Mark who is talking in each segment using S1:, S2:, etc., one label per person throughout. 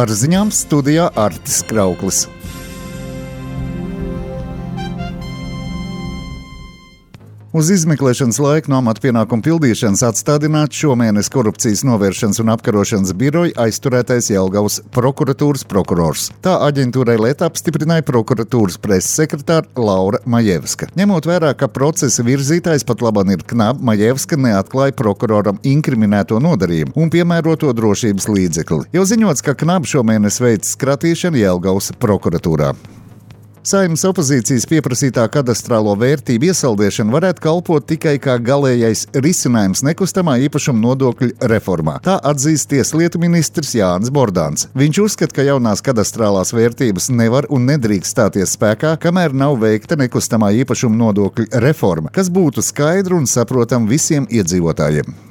S1: Ar ziņām studijā Artis Krauklis. Uz izmeklēšanas laiku no amata pienākumu pildīšanas atstādināts šomēnes Korupcijas novēršanas un apkarošanas biroja aizturētais Jelgavas prokuratūras prokurors. Tā aģentūrai Lieta apstiprināja prokuratūras preses sekretāra Laura Majevska. Ņemot vērā, ka procesa virzītājs pat labāk ir Knab, Majevska neatklāja prokuroram inkriminēto nodarījumu un piemēroto drošības līdzekli. Jau ziņots, ka Knab šomēnes veic skratīšanu Jelgavas prokuratūrā. Saeimas opozīcijas pieprasītā kadastrālo vērtību iesaldēšana varētu kalpot tikai kā galējais risinājums nekustamā īpašuma nodokļu reformā. Tā atzīst tieslietu ministrs Jānis Bordāns. Viņš uzskata, ka jaunās kadastrālās vērtības nevar un nedrīkst stāties spēkā, kamēr nav veikta nekustamā īpašuma nodokļu reforma, kas būtu skaidra un saprotama visiem iedzīvotājiem.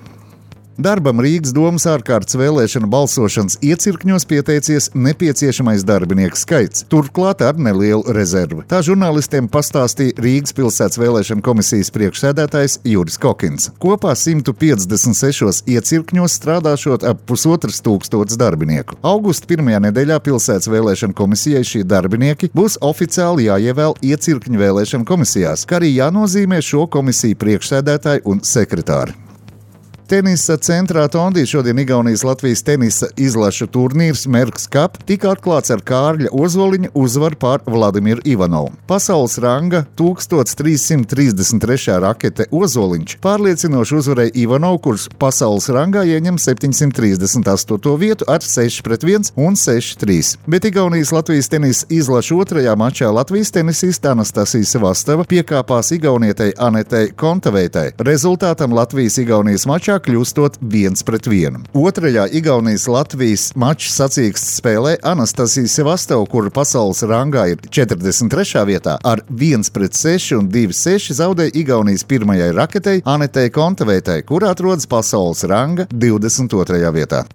S1: Darbam Rīgas domas ārkārtas vēlēšana balsošanas iecirkņos pieteicies nepieciešamais darbinieku skaits, turklāt ar nelielu rezervi. Tā žurnālistiem pastāstīja Rīgas pilsētas vēlēšana komisijas priekšsēdētājs Juris Kokins. Kopā 156 iecirkņos strādāšot ap 1500 darbinieku. Augusta pirmajā nedēļā pilsētas vēlēšana komisijai šie darbinieki būs oficiāli jāievēl iecirkņu vēlēšana komisijās, kā arī jānozīmē šo komisiju priekšsēdētāji un sekretāri. Tenisa centrā Tondī šodien Igaunijas-Latvijas tenisa izlašu turnīrs Merks Cup tika atklāts ar Kārļa Ozoliņa uzvaru pār Vladimiru Ivanovu. Pasaules ranga 1333. rakete Ozoliņš pārliecinoši uzvarēja Ivanovu, kurš pasaules rangā ieņem 738. vietu ar 6-1 un 6-3. Bet Igaunijas-Latvijas tenisa izlašu otrajā mačā Latvijas tenisista Anastasija Sevastava piekāpās Igaunietei Anetei Kontaveitai. Rezultātam Latvijas-Igaunijas mačā kļūstot 1-1. Otrajā Igaunijas-Latvijas mača sacīksts spēlē Anastasija Sevastava, kura pasaules rangā ir 43. vietā, ar 1-6 un 2-6 zaudēja Igaunijas pirmajai raketei Anetei Kontaveitai, kura atrodas pasaules ranga 22. vietā.